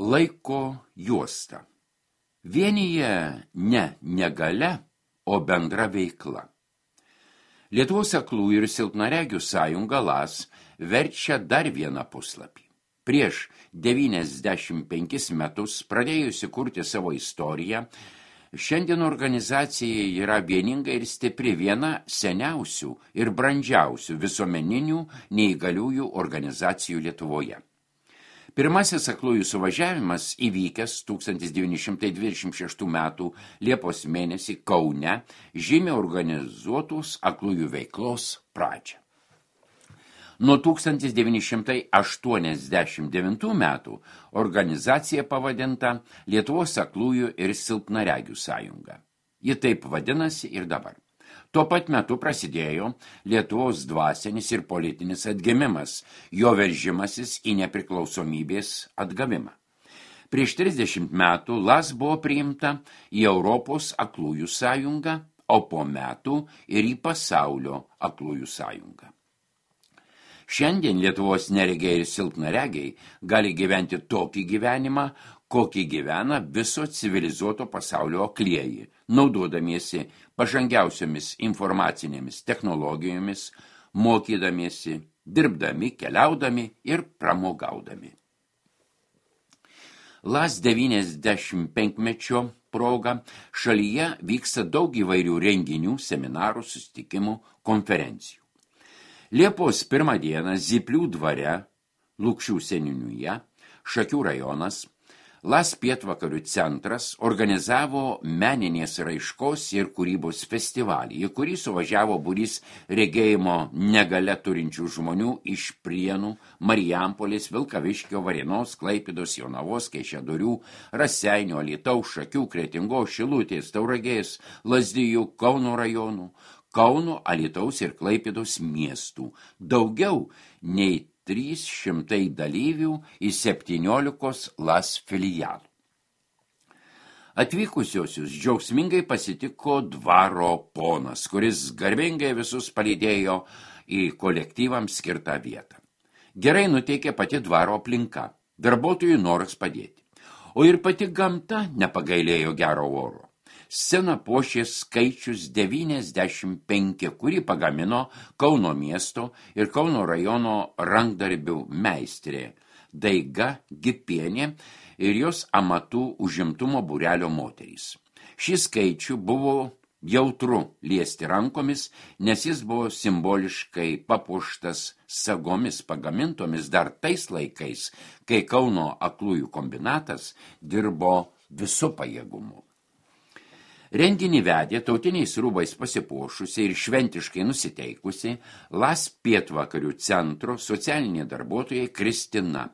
Laiko juosta. Vienyje ne negalia, o bendra veikla. Lietuvos aklųjų ir silpnaregių sąjunga LAS verčia dar vieną puslapį. Prieš 95 metus pradėjusi kurti savo istoriją, šiandien organizacija yra vieninga ir stipri, viena seniausių ir brandžiausių visuomeninių neįgaliųjų organizacijų Lietuvoje. Pirmasis aklųjų suvažiavimas įvykęs 1926 metų Liepos mėnesį Kaune žymi organizuotos aklųjų veiklos pradžią. Nuo 1989 metų organizacija pavadinta Lietuvos aklųjų ir silpnaregių sąjunga. Ji taip vadinasi ir dabar. Tuo pat metu prasidėjo Lietuvos dvasinis ir politinis atgimimas, jo veržimasis į nepriklausomybės atgavimą. Prieš 30 metų LAS buvo priimta į Europos aklųjų sąjungą, o po metų ir į pasaulio aklųjų sąjungą. Šiandien Lietuvos neregiai ir silpnaregiai gali gyventi tokį gyvenimą, kokį gyvena viso civilizuoto pasaulio aklieji, naudodamiesi pažangiausiomis informacinėmis technologijomis, mokydamiesi, dirbdami, keliaudami ir pramogaudami. LAS 95-mečio proga šalyje vyksta daug įvairių renginių, seminarų, susitikimų, konferencijų. Liepos 1 dieną Zyplių dvare, Lukšių seniūnijoje, Šakių rajonas, LAS pietvakarių centras organizavo meninės raiškos ir kūrybos festivalį, į kurį suvažiavo būrys regėjimo negalia turinčių žmonių iš Prienų, Marijampolės, Vilkaviškio, Varėnos, Klaipėdos, Jonavos, Kaišiadorių, Raseinių, Alytaus, Šakių, Kretingos, Šilutės, Tauragės, Lazdijų, Kauno rajonų, Kauno, Alytaus ir Klaipėdos miestų. Daugiau nei 300 dalyvių į 17 LAS filialų. Atvykusiosius džiaugsmingai pasitiko dvaro ponas, kuris garbingai visus palydėjo į kolektyvams skirtą vietą. Gerai nuteikė pati dvaro aplinka, darbuotojų noras padėti. O ir pati gamta nepagailėjo gero oro. Sceną puošė skaičius 95, kurį pagamino Kauno miesto ir Kauno rajono rankdarbių meistrė Daiga Gipienė ir jos amatų užimtumo būrelio moterys. Šį skaičių buvo jautru liesti rankomis, nes jis buvo simboliškai papuoštas sagomis pagamintomis dar tais laikais, kai Kauno aklųjų kombinatas dirbo visu pajėgumu. Renginį vedė tautiniais rūbais pasipuošusi ir šventiškai nusiteikusi LAS pietvakarių centro socialinė darbuotoja Kristina,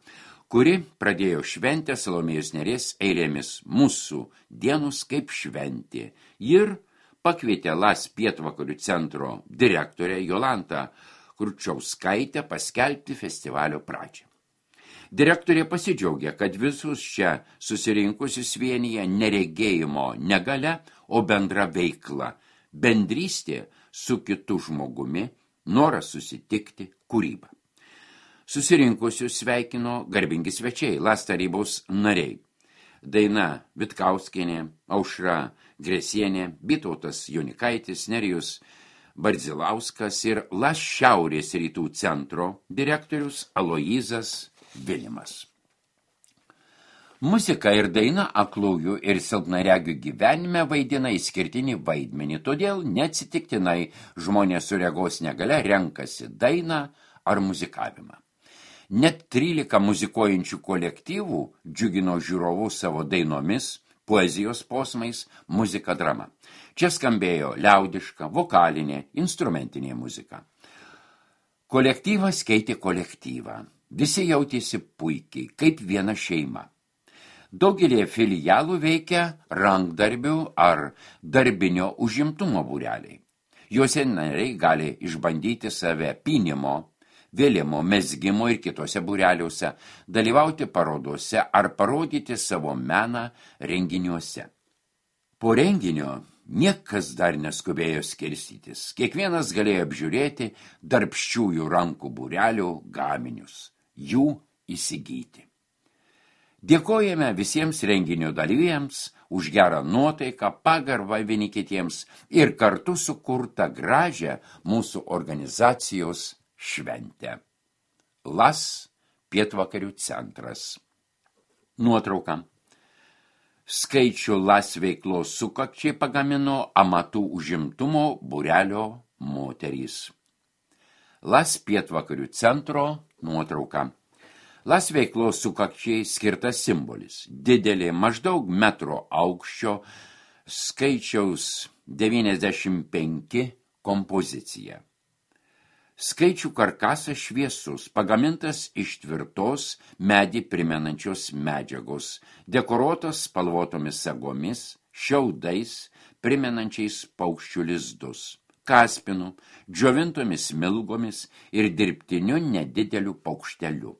kuri pradėjo šventę Salomėjos Nėries eilėmis Mūsų dienos kaip šventė ir pakvietė LAS pietvakarių centro direktorę Jolantą Kručauskaitę paskelbti festivalio pradžią. Direktorė pasidžiaugė, kad visus čia susirinkusius vienyje neregėjimo negalia, o bendra veikla, bendrystė su kitu žmogumi, noras susitikti, kūryba. Susirinkusius sveikino garbingi svečiai, LAS tarybos nariai. Daina Vitkauskienė, Aušra Gresienė, Vytautas Jonikaitis, Nerijus Bardzilauskas ir LAS Šiaurės rytų centro direktorius Aloyzas Vilimas. Muzika ir daina aklųjų ir silpnaregių gyvenime vaidina išskirtinį vaidmenį, todėl neatsitiktinai žmonės su regos negalia renkasi dainą ar muzikavimą. Net 13 muzikuojančių kolektyvų džiugino žiūrovų savo dainomis, poezijos posmais, muzika drama. Čia skambėjo liaudiška, vokalinė, instrumentinė muzika. Kolektyvas keitė kolektyvą. Visi jautėsi puikiai, kaip viena šeima. Daugelį filialų veikia rankdarbių ar darbinio užimtumo būreliai. Juose nariai gali išbandyti save pynimo, vėlimo, mezgimo ir kitose būreliuose, dalyvauti parodose ar parodyti savo meną renginiuose. Po renginio niekas dar neskubėjo skirstytis. Kiekvienas galėjo apžiūrėti darbščiųjų rankų būrelių gaminius, jų įsigyti. Dėkojame visiems renginio dalyviams už gerą nuotaiką, pagarbą vieni kitiems ir kartu sukurtą gražią mūsų organizacijos šventę. LAS pietvakarių centras. Nuotrauka. Skaičių LAS veiklos sukakčiai pagamino amatų užimtumo būrelio moterys. LAS pietvakarių centro nuotrauka. LAS veiklos sukakčiai skirtas simbolis. Didelė maždaug metro aukščio skaičiaus 95 kompozicija. Skaičių karkasas šviesus, pagamintas iš tvirtos medį primenančios medžiagos, dekoruotas spalvotomis sagomis, šiaudais, primenančiais paukščių lizdus, kaspinu, džiovintomis smilgomis ir dirbtiniu nedideliu paukšteliu.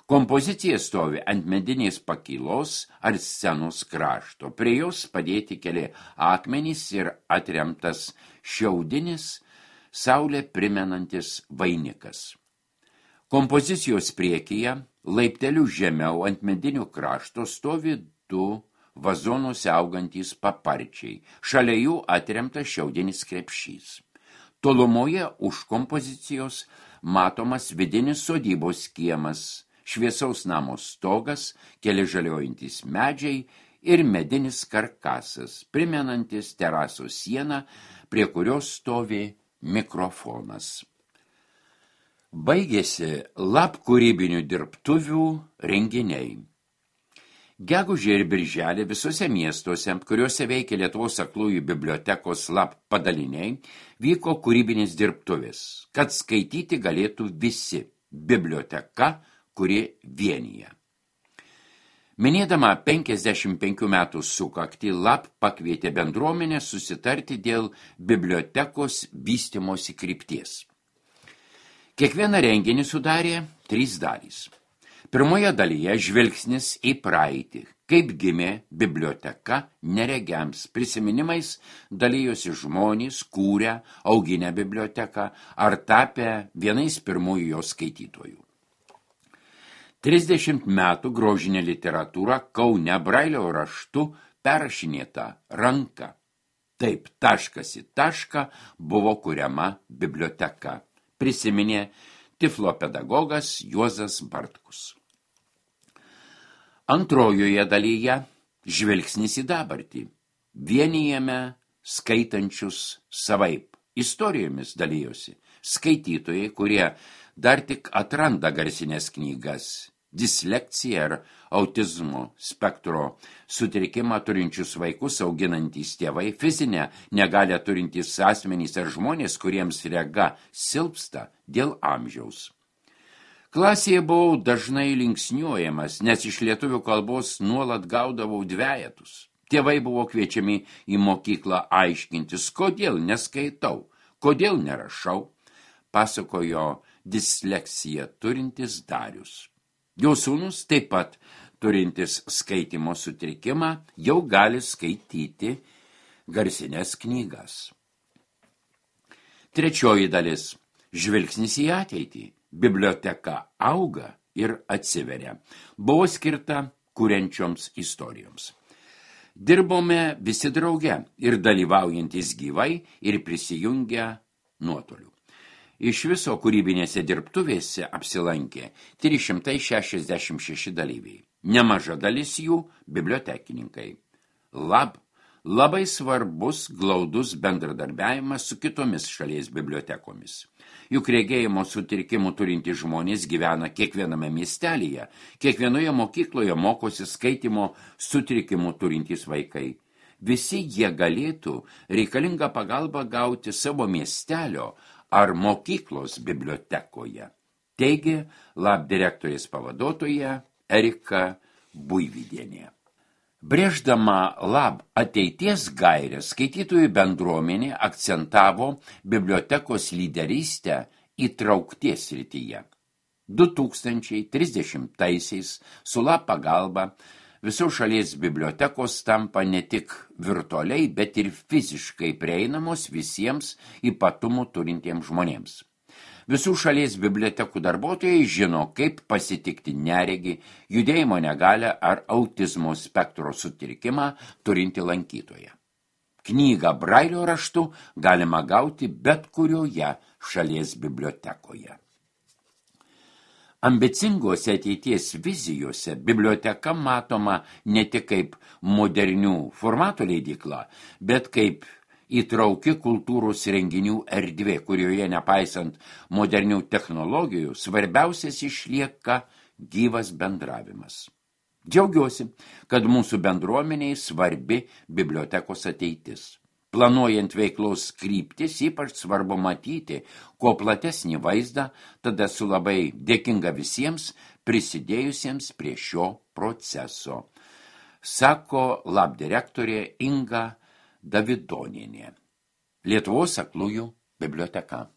Kompozicija stovi ant medinės pakylos ar scenos krašto. Prie jos padėti keli akmenys ir atremtas šiaudinis, saulę primenantis vainikas. Kompozicijos priekyje, laipteliu žemiau ant medinių krašto stovi 2 vazonuose augantys paparčiai. Šalia jų atremtas šiaudinis krepšys. Tolumoje už kompozicijos matomas vidinis sodybos kiemas, šviesaus namo stogas, keli žaliuojantys medžiai ir medinis karkasas, primenantis terasos sieną, prie kurios stovi mikrofonas. Baigėsi LAB kūrybinių dirbtuvių renginiai. Gegužę ir birželį visose miestuose, kuriuose veikia Lietuvos aklųjų bibliotekos LAB padaliniai, vyko kūrybinės dirbtuvės, kad skaityti galėtų visi. Biblioteka, kuri vienija. Minėdama 55 metų sukaktį, LAB pakvietė bendruomenę susitarti dėl bibliotekos vystymosi krypties. Kiekvieną renginį sudarė 3 dalys. Pirmoje dalyje žvilgsnis į praeitį, kaip gimė biblioteka neregiams, prisiminimais dalijosi žmonės, kūrę, auginę biblioteką ar tapę vienais pirmųjų jos skaitytojų. 30 metų grožinė literatūra Kaune brailio raštu perrašinėta ranka. Taip, taškas į tašką buvo kuriama biblioteka, prisiminė Tiflo pedagogas Juozas Bartkus. Antrojoje dalyje žvilgsnis į dabartį. Vienijame skaitančius savaip. Istorijomis dalijosi skaitytojai, kurie dar tik atranda garsinės knygas, dislekciją ar autizmo spektro sutrikimą turinčius vaikus auginantys tėvai, fizinę negalią turintys asmenys ar žmonės, kuriems rega silpsta dėl amžiaus. Klasėje buvau dažnai linksniuojamas, nes iš lietuvių kalbos nuolat gaudavau dvejetus. Tėvai buvo kviečiami į mokyklą aiškintis, kodėl neskaitau, kodėl nerašau, pasakojo disleksiją turintis Darius. Jo sūnus, taip pat turintis skaitymo sutrikimą, jau gali skaityti garsinės knygas. Trečioji dalis – žvilgsnis į ateitį. Biblioteka auga ir atsiveria. Buvo skirta kuriančioms istorijoms. Dirbome visi drauge ir dalyvaujantis gyvai ir prisijungę nuotoliu. Iš viso kūrybinėse dirbtuvėse apsilankė 366 dalyviai. Nemaža dalis jų bibliotekininkai. LAB labai svarbus glaudus bendradarbiavimas su kitomis šalies bibliotekomis. Juk regėjimo sutrikimų turintys žmonės gyvena kiekviename miestelyje, kiekvienoje mokykloje mokosi skaitymo sutrikimų turintys vaikai. Visi jie galėtų reikalingą pagalbą gauti savo miestelio ar mokyklos bibliotekoje, teigė LAB direktorės pavaduotoja Erika Buivydienė. Brėždama LAB ateities gairės, skaitytojų bendruomenė akcentavo bibliotekos lyderystę įtraukties srityje. 2030-aisiais su LAB pagalba visos šalies bibliotekos tampa ne tik virtualiai, bet ir fiziškai prieinamos visiems ypatumų turintiems žmonėms. Visų šalies bibliotekų darbuotojai žino, kaip pasitikti neregį, judėjimo negalią ar autizmo spektro sutrikimą turinti lankytoją. Knygą Brailio raštu galima gauti bet kurioje šalies bibliotekoje. Ambicingose ateities vizijose biblioteka matoma ne tik kaip modernių formatų leidykla, bet kaip įtrauki kultūros renginių erdvė, kurioje nepaisant modernių technologijų, svarbiausias išlieka gyvas bendravimas. Džiaugiuosi, kad mūsų bendruomeniai svarbi bibliotekos ateitis. Planuojant veiklos kryptis, ypač svarbu matyti, kuo platesnį vaizdą, tada esu labai dėkinga visiems prisidėjusiems prie šio proceso, sako labdirektorė Inga Davidonienė, Lietuvos aklųjų biblioteka.